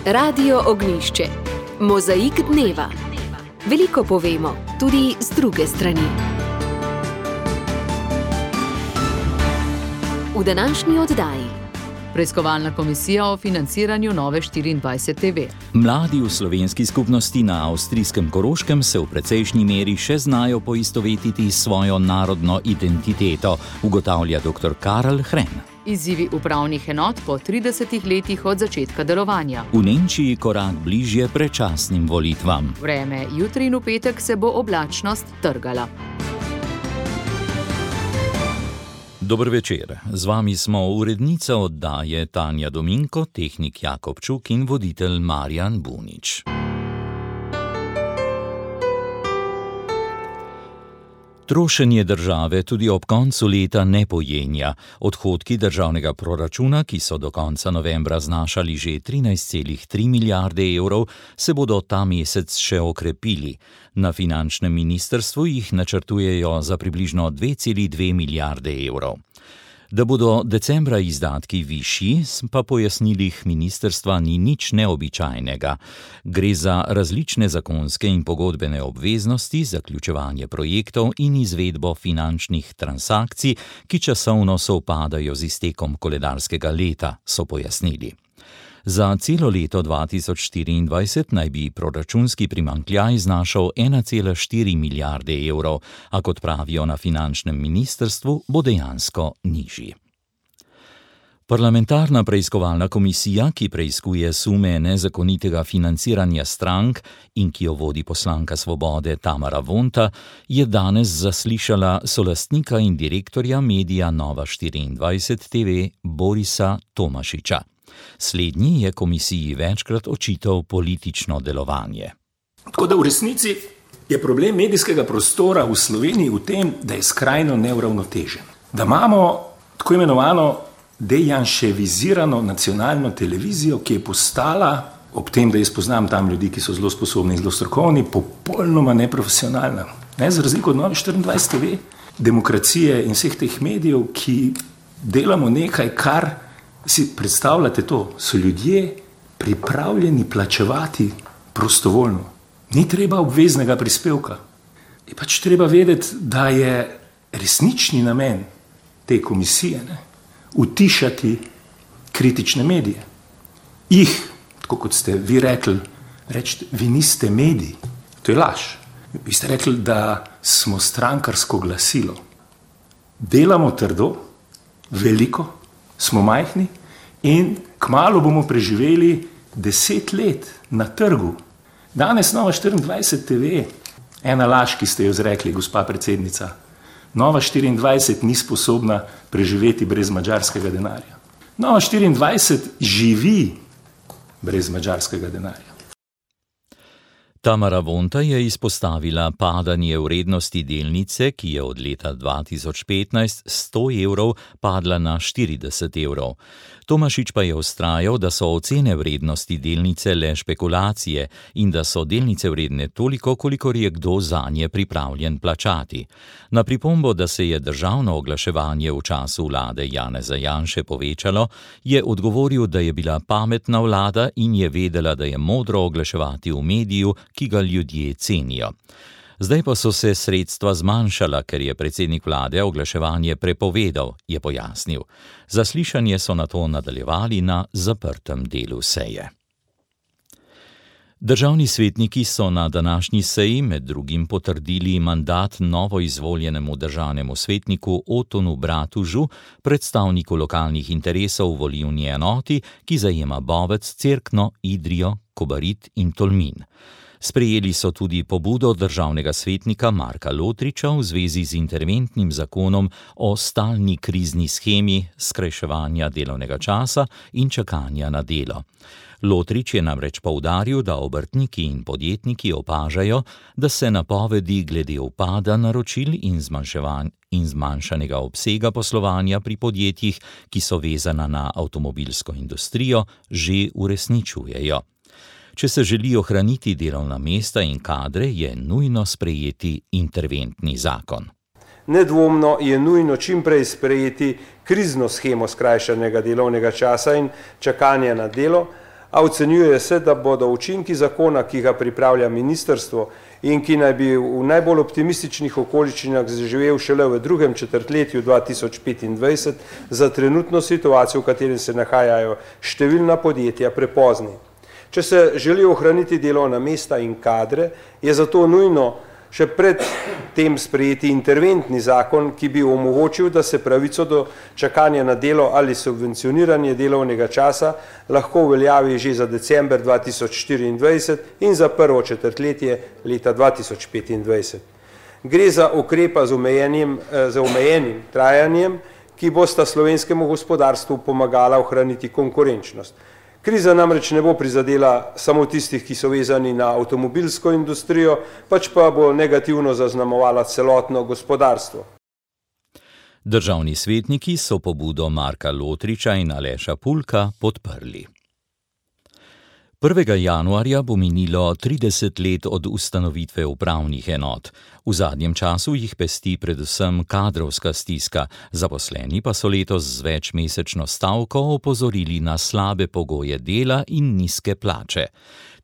Radio Ognjišče. Mozaik dneva. Veliko povemo, tudi z druge strani. V današnji oddaji. Preiskovalna komisija o financiranju Nove24 TV. Mladi v slovenski skupnosti na avstrijskem Koroškem se v precejšnji meri še znajo poistovetiti s svojo narodno identiteto, ugotavlja dr. Karl Hren. Izzivi upravnih enot po 30 letih od začetka delovanja. V Nemčiji korak bližje predčasnim volitvam. Vreme jutri in v petek se bo oblačnost trgala. Dober večer. Z vami smo urednica oddaje Tanja Dominko, tehnik Jakob Čuk in voditelj Marjan Bunič. Trošenje države tudi ob koncu leta ne pojenja. Odhodki državnega proračuna, ki so do konca novembra znašali že 13,3 milijarde evrov, se bodo ta mesec še okrepili. Na finančnem ministrstvu jih načrtujejo za približno 2,2 milijarde evrov. Da bodo decembra izdatki višji, pa pojasnilih ministrstva ni nič neobičajnega. Gre za različne zakonske in pogodbene obveznosti, zaključevanje projektov in izvedbo finančnih transakcij, ki časovno sovpadajo z iztekom koledarskega leta, so pojasnili. Za celo leto 2024 naj bi proračunski primanjkljaj znašal 1,4 milijarde evrov, a kot pravijo na finančnem ministrstvu, bo dejansko nižji. Parlamentarna preiskovalna komisija, ki preiskuje sume nezakonitega financiranja strank in ki jo vodi poslanka Svobode Tamara Vonta, je danes zaslišala solastnika in direktorja medija Nova24 TV Borisa Tomašiča. Slednji je komisiji večkrat očital politično delovanje. Tako da v resnici je problem medijskega prostora v Sloveniji v tem, da je skrajno neuravnotežen. Da imamo tako imenovano dejanševizirano nacionalno televizijo, ki je postala, ob tem, da jaz poznam tam ljudi, ki so zelo sposobni in zelo strokovni, popolnoma neprofesionalna. Za razliko od Nove24 TV, demokracije in vseh teh medijev, ki delamo nekaj, kar si predstavljate to, so ljudje pripravljeni plačevati prostovoljno. Ni treba obveznega prispevka. Je pač treba vedeti, da je resnični namen te komisije utišati kritične medije. Jih, tako kot ste vi rekli, rečete, vi niste mediji. To je laž. Vi ste rekli, da smo strankarsko glasilo. Delamo trdo, veliko, smo majhni in kmalu bomo preživeli 10 let na trgu. Danes Nova24 TV, ena laž, ki ste jo izrekli, gospa predsednica, Nova24 ni sposobna preživeti brez madžarskega denarja. Nova24 živi brez madžarskega denarja. Tamara Vonta je izpostavila padanje vrednosti delnice, ki je od leta 2015 100 evrov padla na 40 evrov. Tomašič pa je vztrajal, da so ocene vrednosti delnice le špekulacije in da so delnice vredne toliko, kolikor je kdo zanje pripravljen plačati. Na pripombo, da se je državno oglaševanje v času vlade Janeza Janše povečalo, je odgovoril, da je bila pametna vlada in je vedela, da je modro oglaševati v mediju, ki ga ljudje cenijo. Zdaj pa so se sredstva zmanjšala, ker je predsednik vlade oglaševanje prepovedal, je pojasnil. Zaslišanje so nato nadaljevali na zaprtem delu seje. Državni svetniki so na današnji seji med drugim potrdili mandat novoizvoljenemu državnemu svetniku Otonu Bratužu, predstavniku lokalnih interesov v volilni enoti, ki zajema Bovec, Cerkno, Idrijo, Kobarid in Tolmin. Sprejeli so tudi pobudo državnega svetnika Marka Lotriča v zvezi z interventnim zakonom o stalni krizni shemi skrajševanja delovnega časa in čakanja na delo. Lotrič je namreč poudaril, da obrtniki in podjetniki opažajo, da se napovedi glede upada naročil in zmanjšanega obsega poslovanja pri podjetjih, ki so vezana na avtomobilsko industrijo, že uresničujejo. Če se želi ohraniti delovna mesta in kadre, je nujno sprejeti interventni zakon. Nedvomno je nujno čim prej sprejeti krizno shemo skrajšanega delovnega časa in čakanja na delo, a ocenjuje se, da bodo učinki zakona, ki ga pripravlja ministrstvo in ki naj bi v najbolj optimističnih okoliščinah zaživel šele v drugem četrtletju 2025, za trenutno situacijo, v kateri se nahajajo številna podjetja, prepozni. Če se želi ohraniti delovna mesta in kadre, je zato nujno še pred tem sprejeti interventni zakon, ki bi omogočil, da se pravico do čakanja na delo ali subvencioniranje delovnega časa lahko uveljavi že za december 2024 in za prvo četrtletje leta 2025. Gre za ukrepa z omejenim trajanjem, ki bosta slovenskemu gospodarstvu pomagala ohraniti konkurenčnost. Kriza namreč ne bo prizadela samo tistih, ki so vezani na avtomobilsko industrijo, pač pa bo negativno zaznamovala celotno gospodarstvo. Državni svetniki so pobudo Marka Lotriča in Aleša Pulka podprli. 1. januarja bo minilo 30 let od ustanovitve upravnih enot. V zadnjem času jih pesti predvsem kadrovska stiska, zaposleni pa so letos z večmesečno stavko opozorili na slabe pogoje dela in nizke plače.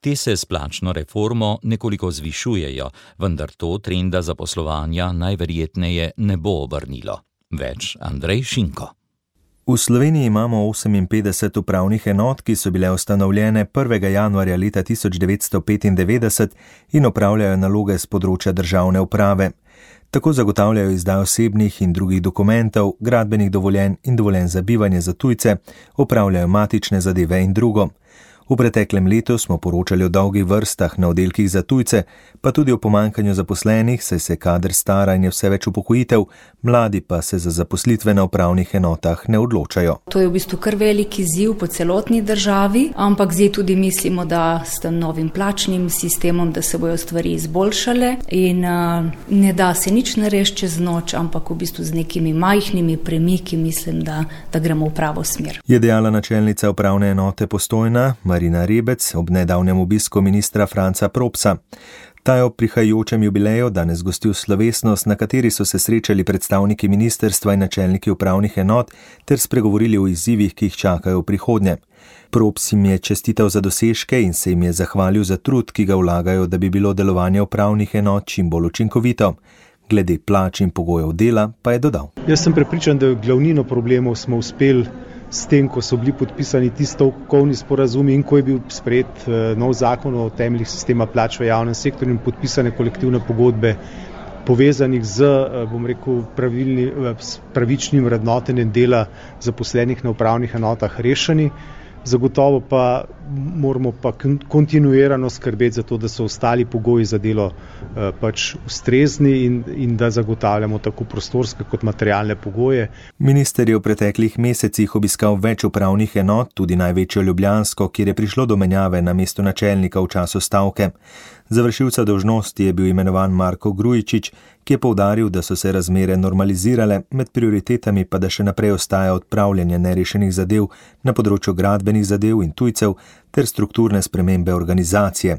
Te se s plačno reformo nekoliko zvišujejo, vendar to trenda zaposlovanja najverjetneje ne bo obrnilo. Več Andrej Šinko. V Sloveniji imamo 58 upravnih enot, ki so bile ustanovljene 1. januarja leta 1995 in opravljajo naloge z področja državne uprave. Tako zagotavljajo izdajo osebnih in drugih dokumentov, gradbenih dovoljenj in dovoljenj za bivanje za tujce, opravljajo matične zadeve in drugo. V preteklem letu smo poročali o dolgih vrstah na oddelkih za tujce, pa tudi o pomanjkanju zaposlenih, saj se kader stara in je vse več upokojitev, mladi pa se za zaposlitve na upravnih enotah ne odločajo. To je v bistvu kar velik izziv po celotni državi, ampak zdaj tudi mislimo, da s tem novim plačnim sistemom, da se bojo stvari izboljšale in ne da se nič narediti čez noč, ampak v bistvu z nekimi majhnimi premiki mislim, da gremo v pravo smer. Je dejala načelnica upravne enote Postojna, Marina Rebec, ob nedavnem obisku ministra Franca Propsa. Ta je ob prihajajočem jubileju danes gostil slovesnost, na kateri so se srečali predstavniki ministrstva in načelniki upravnih enot ter spregovorili o izzivih, ki jih čakajo v prihodnje. Props jim je čestital za dosežke in se jim je zahvalil za trud, ki ga vlagajo, da bi bilo delovanje upravnih enot čim bolj učinkovito. Glede plač in pogojev dela pa je dodal. Jaz sem prepričan, da glavnino problemov smo uspeli s tem, ko so bili podpisani ti stavkovni sporazumi in ko je bil sprejet nov zakon o temeljih sistema plač v javnem sektorju in podpisane kolektivne pogodbe povezanih z, pravičnim vrednotenjem dela zaposlenih na upravnih enotah rešeni. Zagotovo pa moramo pa kontinuirano skrbeti za to, da so ostali pogoji za delo pač ustrezni in da zagotavljamo tako prostorske kot materialne pogoje. Minister je v preteklih mesecih obiskal več upravnih enot, tudi največjo ljubljansko, kjer je prišlo do menjave na mesto načelnika v času stavke. Za vršilca dolžnosti je bil imenovan Marko Grujičič, ki je poudaril, da so se razmere normalizirale, med prioritetami pa da še naprej ostaja odpravljanje nerešenih zadev na področju gradbenih zadev in tujcev ter strukturne spremembe organizacije.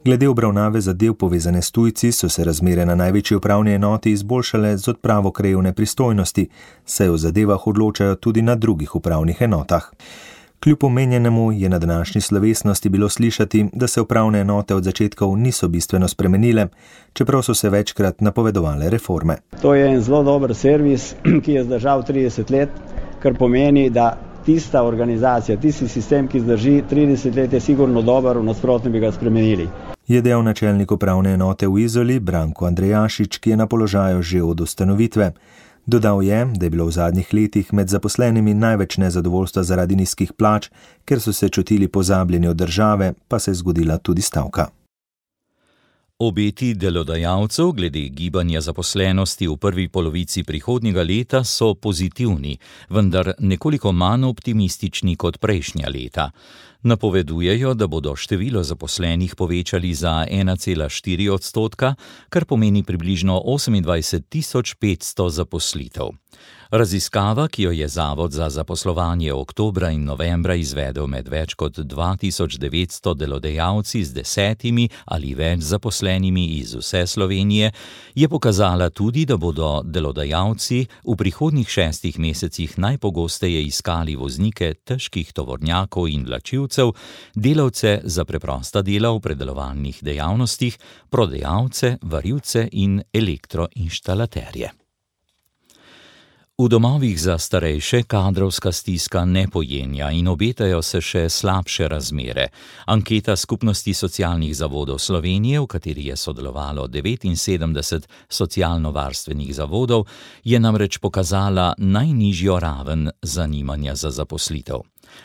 Glede obravnave zadev povezane s tujci so se razmere na največji upravni enoti izboljšale z odpravo krajevne pristojnosti, saj o zadevah odločajo tudi na drugih upravnih enotah. Kljub omenjenemu je na današnji slovesnosti bilo slišati, da se upravne enote od začetkov niso bistveno spremenile, čeprav so se večkrat napovedovale reforme. To je en zelo dober servis, ki je zdržal 30 let, kar pomeni, da tista organizacija, tisti sistem, ki zdrži 30 let, je sigurno dober, v nasprotnem bi ga spremenili. Je dejal načelnik upravne enote v Izoli, Branko Andrejašič, ki je na položaju že od ustanovitve. Dodal je, da je bilo v zadnjih letih med zaposlenimi največ nezadovoljstva zaradi nizkih plač, ker so se čutili pozabljeni od države, pa se je zgodila tudi stavka. Obeti delodajalcev glede gibanja zaposlenosti v prvi polovici prihodnjega leta so pozitivni, vendar nekoliko manj optimistični kot prejšnja leta. Napovedujejo, da bodo število zaposlenih povečali za 1,4%, kar pomeni približno 28.500 zaposlitev. Raziskava, ki jo je Zavod za zaposlovanje oktobra in novembra izvedel med več kot 2900 delodajalci z 10 ali več zaposlenimi iz vse Slovenije, je pokazala tudi, da bodo delodajalci v prihodnjih 6 mesecih najpogosteje iskali voznike težkih tovornjakov in vlačilcev delavcev, delavce za preprosta dela v predelovalnih dejavnostih, prodajalce, varilce in elektroinštalaterje. V domovih za starejše kadrovska stiska ne pojenja in obetajo se še slabše razmere. Anketa Skupnosti socialnih zavodov Slovenije, v kateri je sodelovalo 79 socialno-varstvenih zavodov, je namreč pokazala najnižjo raven zanimanja za zaposlitev.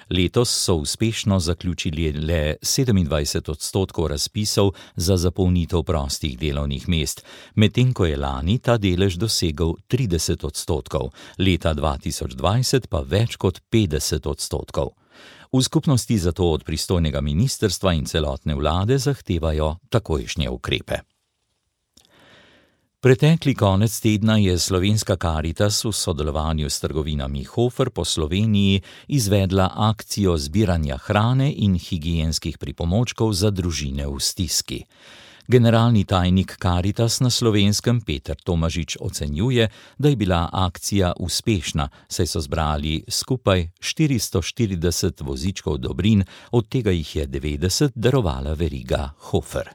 Letos so uspešno zaključili le 27% razpisov za zapolnitev prostih delovnih mest, medtem ko je lani ta delež dosegel 30%, leta 2020 pa več kot 50%. V skupnosti zato od pristojnega ministrstva in celotne vlade zahtevajo takojšnje ukrepe. Pretekli konec tedna je Slovenska Karitas v sodelovanju s trgovinami Hofer po Sloveniji izvedla akcijo zbiranja hrane in higienskih pripomočkov za družine v stiski. Generalni tajnik Karitas na Slovenskem Peter Tomažič ocenjuje, da je bila akcija uspešna, saj so zbrali skupaj 440 vozičkov dobrin, od tega jih je 90 darovala veriga Hofer.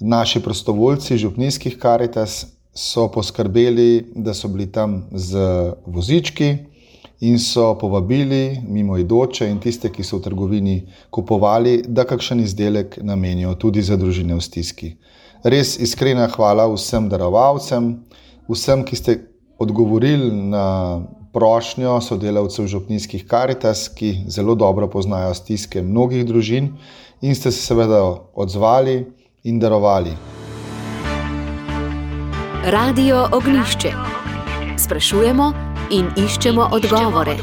Naši prostovoljci župnijskih Karitas so poskrbeli, da so bili tam z vozički in so povabili mimoidoče in tiste, ki so v trgovini kupovali, da kakšen izdelek namenijo tudi za družine v stiski. Res iskrena hvala vsem darovalcem, vsem, ki ste odgovorili na prošnjo sodelavcev župnijskih Karitas, ki zelo dobro poznajo stiske mnogih družin in ste se seveda odzvali in darovali. Radio Ognjišče. Sprašujemo in iščemo odgovore.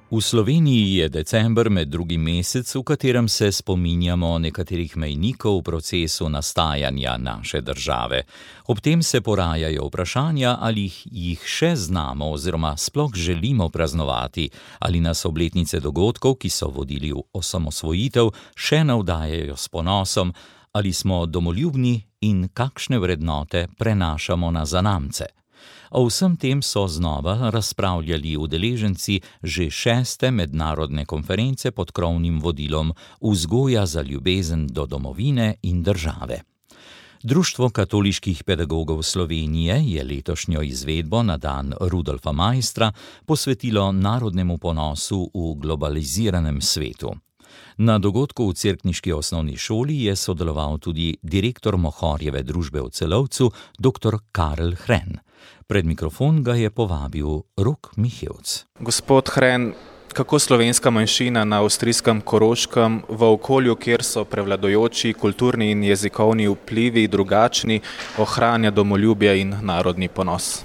V Sloveniji je december med drugim mesec, v katerem se spominjamo nekaterih mejnikov v procesu nastajanja naše države. Ob tem se porajajo vprašanja, ali jih še znamo oziroma sploh želimo praznovati, ali nas obletnice dogodkov, ki so vodili v osamosvojitev, še navdajajo s ponosom, ali smo domoljubni in kakšne vrednote prenašamo na zanamce. O vsem tem so znova razpravljali udeleženci že 6. mednarodne konference pod krovnim vodilom Vzgoja za ljubezen do domovine in države. Društvo katoliških pedagogov Slovenije je letošnjo izvedbo na dan Rudolfa Maistra posvetilo narodnemu ponosu v globaliziranem svetu. Na dogodku v cerkniški osnovni šoli je sodeloval tudi direktor Mohorjeve družbe v Celovcu, dr. Karel Hren. Pred mikrofon ga je povabil Rok Mihevc. Gospod Hren, kako slovenska manjšina na avstrijskem Koroškem v okolju, kjer so prevladujoči kulturni in jezikovni vplivi drugačni, ohranja domoljubje in narodni ponos?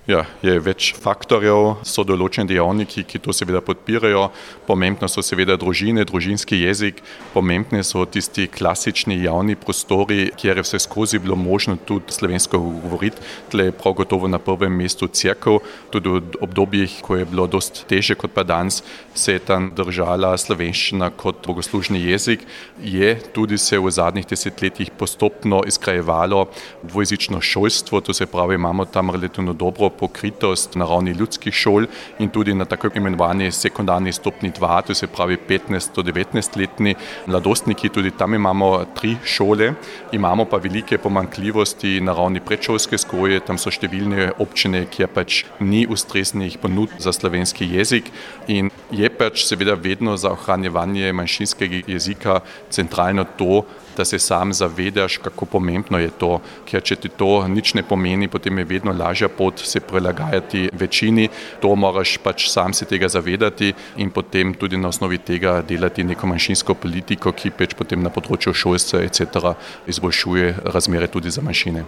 Ja, je več faktorjev, so določeni dejavniki, ki to seveda podpirajo. Pomembno so seveda družine, družinski jezik, pomembni so tisti klasični javni prostori, kjer je vse skozi bilo možno tudi slovensko govoriti. Tle je prav gotovo na prvem mestu cerkev, tudi v obdobjih, ko je bilo dosti težje kot pa danes, se je tam držala slovenščina kot bogoslužni jezik. Je tudi se v zadnjih desetletjih postopno izkrajevalo dvojezično šolstvo, to se pravi, imamo tam relativno dobro pokritost na ravni ljudskih šol in tudi na tako imenovani sekundarni stopni 2, to se pravi 15 do 19-letni mladostniki, tudi tam imamo 3 šole, imamo pa velike pomanjkljivosti na ravni predšolske vzgoje, tam so številne občine, kjer pač ni ustreznih ponudb za slovenski jezik in je pač seveda vedno za ohranjevanje manjšinskega jezika centralno to, da se sam zavedaš, kako pomembno je to, ker če ti to nič ne pomeni, potem je vedno lažja pot se prilagajati večini, to moraš pač sam se tega zavedati in potem tudi na osnovi tega delati neko manjšinsko politiko, ki pač potem na področju šolstva etc. izboljšuje razmere tudi za manjšine.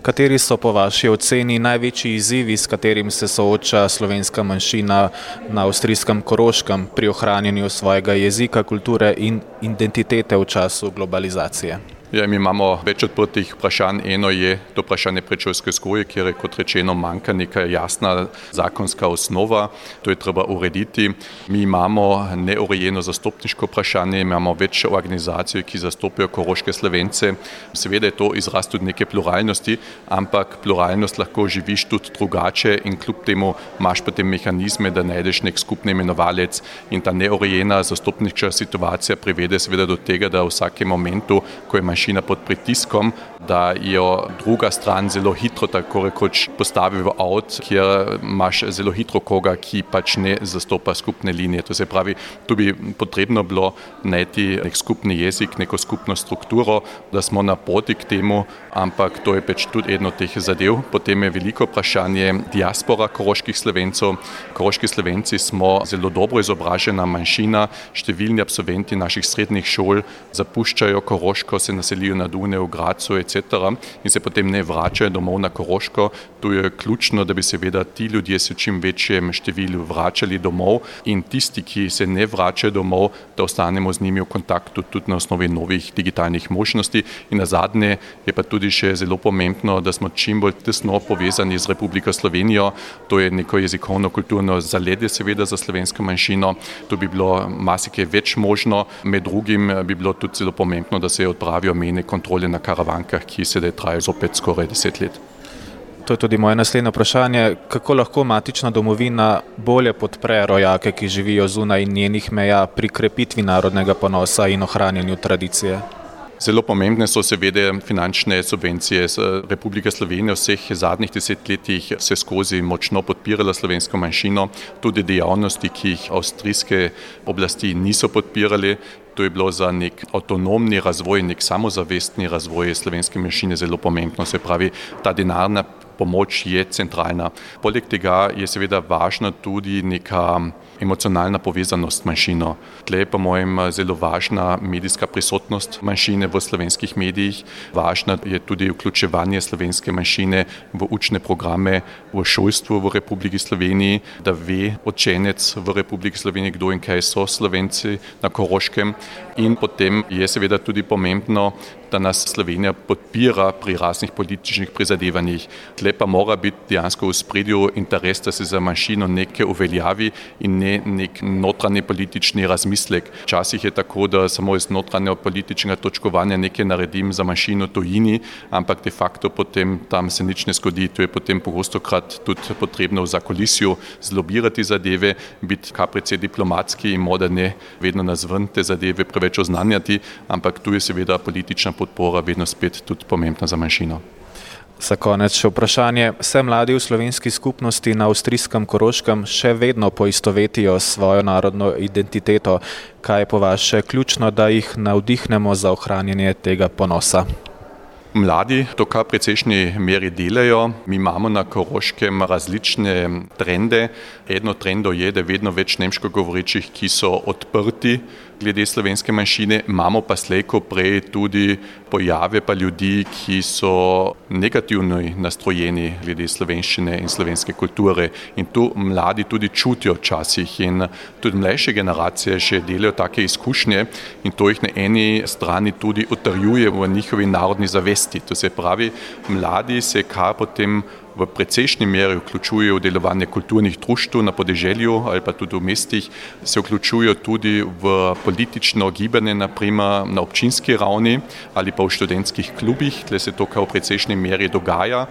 Kateri so po vaši oceni največji izzivi, s katerim se sooča slovenska manjšina na avstrijskem Koroškem pri ohranjanju svojega jezika, kulture in identitete v času globalizacije? Ja, mi imamo več odprtih vprašanj. Eno je to vprašanje predšolske vzgoje, kjer je, kot rečeno, manjka neka jasna zakonska osnova. To je treba urediti. Mi imamo neurejeno zastopniško vprašanje, imamo več organizacij, ki zastopijo koroške Slovence. Seveda je to izraz tudi neke pluralnosti, ampak pluralnost lahko živiš tudi drugače in kljub temu imaš potem mehanizme, da najdeš nek skupni imenovalec, in ta neurejena zastopniška situacija privede seveda do tega, da v vsakem momentu, ko je manjšina pod pritiskom, da jo druga stran zelo hitro tako rekoč postavi v avt, kjer imaš zelo hitro koga, ki pač ne zastopa skupne linije. To se pravi, tu bi potrebno bilo najti nek skupni jezik, neko skupno strukturo, da smo na poti k temu, ampak to je pač tudi eno teh zadev. Potem je veliko vprašanje diaspora koroških Slovencov. Koroški Slovenci smo zelo dobro izobražena manjšina, številni absolventi naših srednjih šol zapuščajo Koroško, se naselijo na Dunaju, v Grazu, etc. in se potem ne vračajo domov na Koroško. Tu je ključno, da bi seveda ti ljudje se v čim večjem številu vračali domov in tisti, ki se ne vračajo domov, da ostanemo z njimi v kontaktu tudi na osnovi novih digitalnih možnosti. In nazadnje je pa tudi še zelo pomembno, da smo čim bolj tesno povezani z Republiko Slovenijo. To je neko jezikovno-kulturno zaledje seveda za slovensko manjšino. Tu bi bilo marsikaj več možno. Med drugim bi bilo tudi zelo pomembno, da se odpravijo mejne kontrole na Karavankah, ki sedaj trajajo zopet skoraj 10 let. To je tudi moje naslednje vprašanje. Kako lahko matična domovina bolje podpre rojake, ki živijo zunaj njenih meja, pri krepitvi narodnega ponosa in ohranjanju tradicije? Zelo pomembne so seveda finančne subvencije. Republika Slovenija v vseh zadnjih 10 letih se skozi močno podpirala slovensko manjšino, tudi dejavnosti, ki jih avstrijske oblasti niso podpirali. To je bilo za nek avtonomni razvoj, nek samozavestni razvoj slovenske manjšine zelo pomembno. Se pravi, ta denarna pomoč je centralna. Poleg tega je seveda važna tudi neka emocionalna povezanost manjšino. Tle je po mojem zelo važna medijska prisotnost manjšine v slovenskih medijih. Važna je tudi vključevanje slovenske manjšine v učne programe v šolstvu v Republiki Sloveniji, da ve učenec v Republiki Sloveniji, kdo in kaj so Slovenci na Koroškem. In potem je seveda tudi pomembno, da nas Slovenija podpira pri raznih političnih prizadevanjih. Tle pa mora biti dejansko v spredju interes, da se za manjšino nekaj uveljavi in ne nek notranji politični razmislek. Včasih je tako, da samo iz notranjega političnega točkovanja nekaj naredim za manjšino tujini, ampak de facto potem tam se nič ne zgodi. To je potem pogostokrat tudi potrebno v zakulisju zlobirati zadeve, biti kar precej diplomatski in morda ne vedno nazven te zadeve preveč oznanjati, ampak tu je seveda politična podpora vedno spet tudi pomembna za manjšino. Za konec še vprašanje. Se mladi v slovenski skupnosti na avstrijskem Koroškem še vedno poistovetijo svojo narodno identiteto? Kaj je po vaše ključno, da jih navdihnemo za ohranjanje tega ponosa? Mladi to kar precejšnji meri delajo. Mi imamo na Koroškem različne trende. Eno trendo je, da je vedno več nemško govorečih, ki so odprti glede slovenske manjšine. Imamo pa slej ko prej tudi pojave pa ljudi, ki so negativno nastrojeni glede slovenščine in slovenske kulture. In tu mladi tudi čutijo včasih in tudi mlajše generacije še delajo take izkušnje in to jih na eni strani tudi utrjuje v njihovi narodni zavesti. To se pravi, mladi se kar potem v precejšnji meri vključujejo v delovanje kulturnih društev na podeželju ali pa tudi v mestih, se vključujejo tudi v politično gibanje, naprimer na občinski ravni ali pa v študentskih klubih, tle se to kar v precejšnji meri dogaja.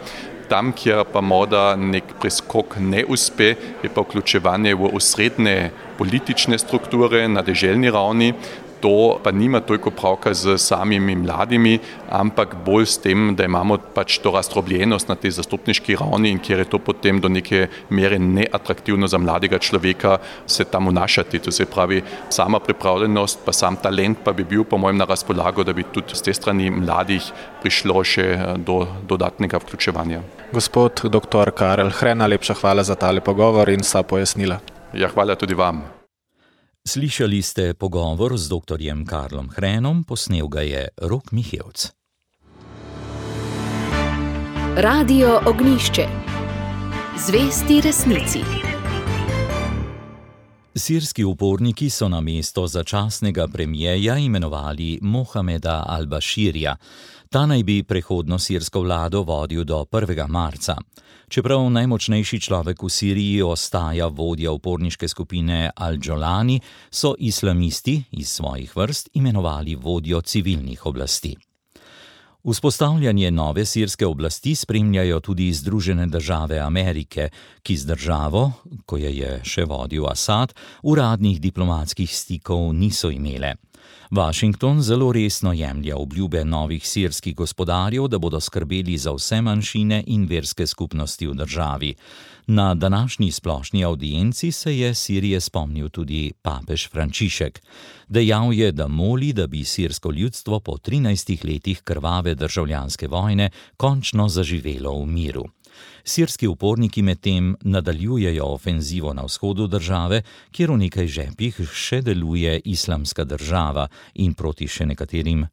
Tam, kjer pa morda nek preskok ne uspe, je pa vključevanje v osrednje politične strukture na deželni ravni. To pa nima toliko pravka z samimi mladimi, ampak bolj s tem, da imamo pač to razdrobljenost na tej zastopniški ravni in kjer je to potem do neke mere neatraktivno za mladega človeka se tam vnašati. To se pravi, sama pripravljenost pa sam talent pa bi bil po mojem na razpolago, da bi tudi z te strani mladih prišlo še do dodatnega vključevanja. Gospod dr. Karel Hren, najlepša hvala za tale pogovor in vsa pojasnila. Ja, hvala tudi vam. Slišali ste pogovor z dr. Karlom Hrenom, posnel ga je Rok Mihevc. Radio Ognjišče. Zvesti resnici. Sirski uporniki so na mesto začasnega premijeja imenovali Mohameda al-Bashirja. Ta naj bi prehodno sirsko vlado vodil do 1. marca. Čeprav najmočnejši človek v Siriji ostaja vodja uporniške skupine Al-Jolani, so islamisti iz svojih vrst imenovali vodjo civilnih oblasti. Vzpostavljanje nove sirske oblasti spremljajo tudi Združene države Amerike, ki z državo, ko je še vodil Asad, uradnih diplomatskih stikov niso imele. Washington zelo resno jemlje obljube novih sirskih gospodarjev, da bodo skrbeli za vse manjšine in verske skupnosti v državi. Na današnji splošni avdienci se je Sirije spomnil tudi papež Frančišek. Dejal je, da moli, da bi sirsko ljudstvo po 13 letih krvave državljanske vojne končno zaživelo v miru. Sirski uporniki medtem nadaljujejo ofenzivo na vzhodu države, kjer v nekaj žepih še deluje Islamska država in proti še nekaterim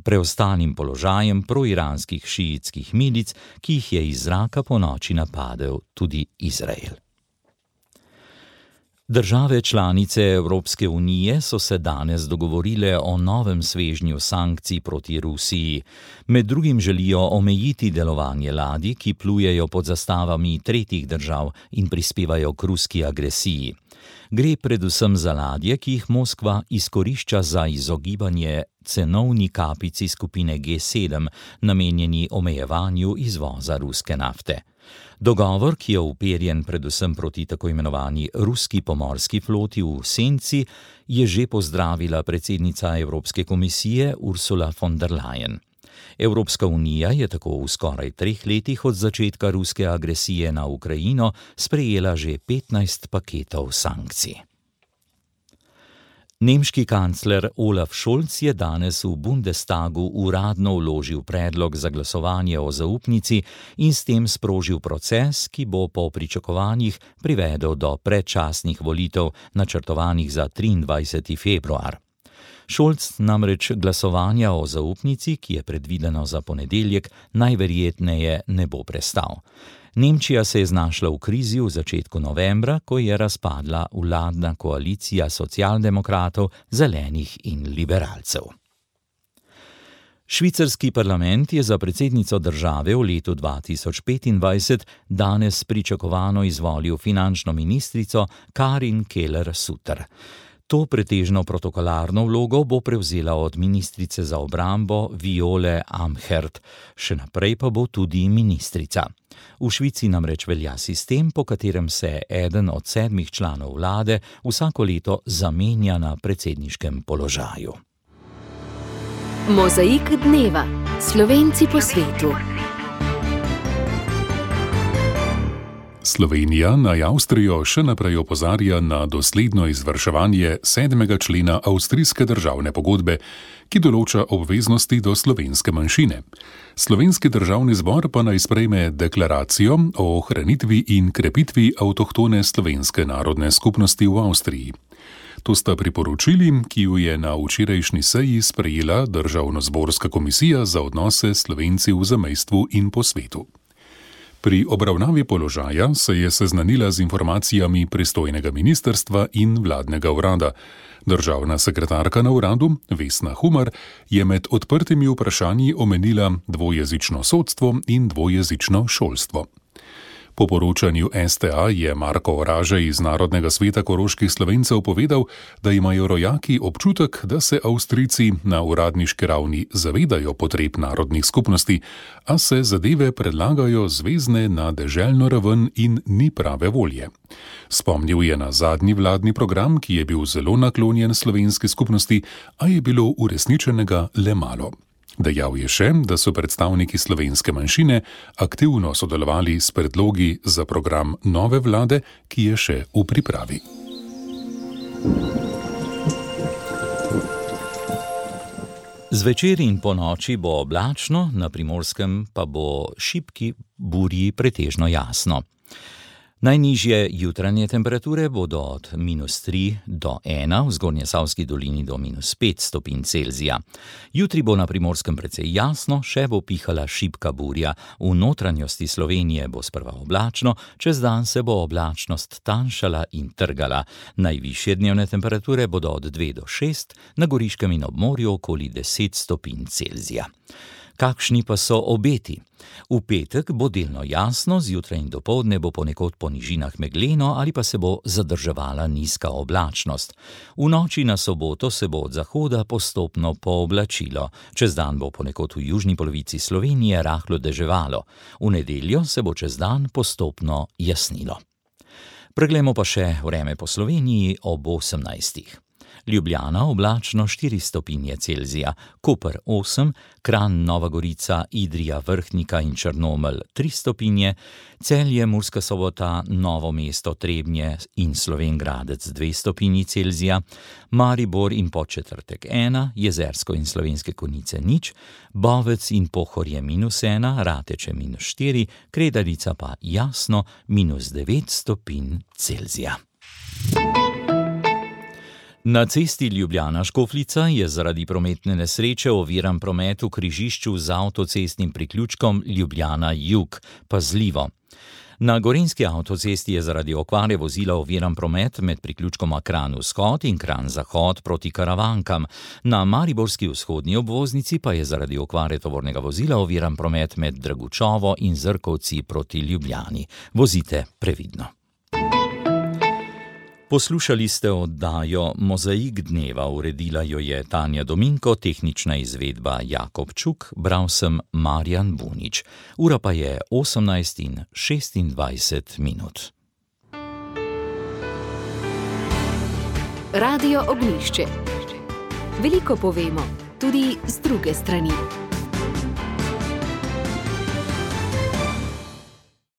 preostalim položajem proiranskih šiitskih milic, ki jih je iz zraka ponoči napadel tudi Izrael. Države članice Evropske unije so se danes dogovorile o novem svežnju sankcij proti Rusiji. Med drugim želijo omejiti delovanje ladij, ki plujejo pod zastavami tretjih držav in prispevajo k ruski agresiji. Gre predvsem za ladje, ki jih Moskva izkorišča za izogibanje cenovni kapici skupine G7, namenjeni omejevanju izvoza ruske nafte. Dogovor, ki je uperjen predvsem proti tako imenovani ruski pomorski floti v senci, je že pozdravila predsednica Evropske komisije Ursula von der Leyen. Evropska unija je tako v skoraj 3 letih od začetka ruske agresije na Ukrajino sprejela že 15 paketov sankcij. Nemški kancler Olaf Scholz je danes v Bundestagu uradno vložil predlog za glasovanje o zaupnici in s tem sprožil proces, ki bo po pričakovanjih privedel do predčasnih volitev, načrtovanih za 23. februar. Scholz namreč glasovanja o zaupnici, ki je predvideno za ponedeljek, najverjetneje ne bo prestal. Nemčija se je znašla v krizi v začetku novembra, ko je razpadla vladna koalicija socialdemokratov, zelenih in liberalcev. Švicarski parlament je za predsednico države v letu 2025 danes pričakovano izvolil finančno ministrico Karin Keller-Sutter. To pretežno protokolarno vlogo bo prevzela od ministrice za obrambo Viole Amherd, še naprej pa bo tudi ministrica. V Švici namreč velja sistem, po katerem se eden od 7 članov vlade vsako leto zamenja na predsedniškem položaju. Mozaik dneva. Slovenci po svetu. Slovenija naj Avstrijo še naprej opozarja na dosledno izvrševanje 7. člena avstrijske državne pogodbe, ki določa obveznosti do slovenske manjšine. Slovenski državni zbor pa naj sprejme deklaracijo o ohranitvi in krepitvi avtohtone slovenske narodne skupnosti v Avstriji. To sta priporočili, ki ju je na včerajšnji seji sprejela Državnozborska komisija za odnose s Slovenci v zamejstvu in po svetu. Pri obravnavi položaja se je seznanila z informacijami pristojnega ministrstva in vladnega urada. Državna sekretarka na uradu, Vesna Humar, je med odprtimi vprašanji omenila dvojezično sodstvo in dvojezično šolstvo. Po poročanju STA je Marko Oraže iz Narodnega sveta koroških Slovencev povedal, da imajo rojaki občutek, da se Avstrijci na uradniški ravni zavedajo potreb narodnih skupnosti, a se zadeve predlagajo zvezne na deželno raven in ni prave volje. Spomnil je na zadnji vladni program, ki je bil zelo naklonjen slovenski skupnosti, a je bilo uresničenega le malo. Dejal je še, da so predstavniki slovenske manjšine aktivno sodelovali s predlogi za program nove vlade, ki je še v pripravi. Zvečer in ponoči bo oblačno, na Primorskem pa bo šibki burji pretežno jasno. Najnižje jutranje temperature bodo od -3 do 1, v Zgornjesavski dolini do -5 stopinj Celzija. Jutri bo na Primorskem precej jasno, še bo pihala šibka burja. V notranjosti Slovenije bo sprva oblačno, čez dan se bo oblačnost tanjšala in trgala. Najvišje dnevne temperature bodo od 2 do 6, na Goriškem in ob morju okoli 10 stopinj Celzija. Kakšni pa so obeti? V petek bo delno jasno, zjutraj in dopoldne bo ponekod po nižinah megleno ali pa se bo zadrževala nizka oblačnost. V noči na soboto se bo od zahoda postopno pooblačilo. Čez dan bo ponekod v južni polovici Slovenije rahlo deževalo. V nedeljo se bo čez dan postopno jasnilo. Preglejmo pa še vreme po Sloveniji ob 18. Ljubljana oblačno 4 stopinje Celzija, Koper 8, Kranj, Nova Gorica, Idrija, Vrhnika in Črnomelj 3 stopinje, Celje, Murska Sobota, Novo mesto, Trebnje in Slovenj Gradec 2 stopinji Celzija, Maribor in Podčetrtek 1, Jezersko in Slovenske Konjice 0, Bovec in Pohorje -1, Rateče -4, Kredarica pa jasno -9 stopinj Celzija. Na cesti Ljubljana-Škofljica je zaradi prometne nesreče oviran promet v križišču z avtocestnim priključkom Ljubljana-Jug. Pazljivo. Na gorenjski avtocesti je zaradi okvare vozila oviran promet med priključkoma Kranj-Vzhod in Kranj-Zahod proti Karavankam. Na mariborski vzhodni obvoznici pa je zaradi okvare tovornega vozila oviran promet med Dragučovo in Zrkovci proti Ljubljani. Vozite previdno. Poslušali ste oddajo Mozaik dneva, uredila jo je Tanja Dominko, tehnična izvedba Jakob Čuk, bral sem Marjan Bunič. Ura pa je 18:26. Radio Ognjišče. Veliko povemo, tudi z druge strani.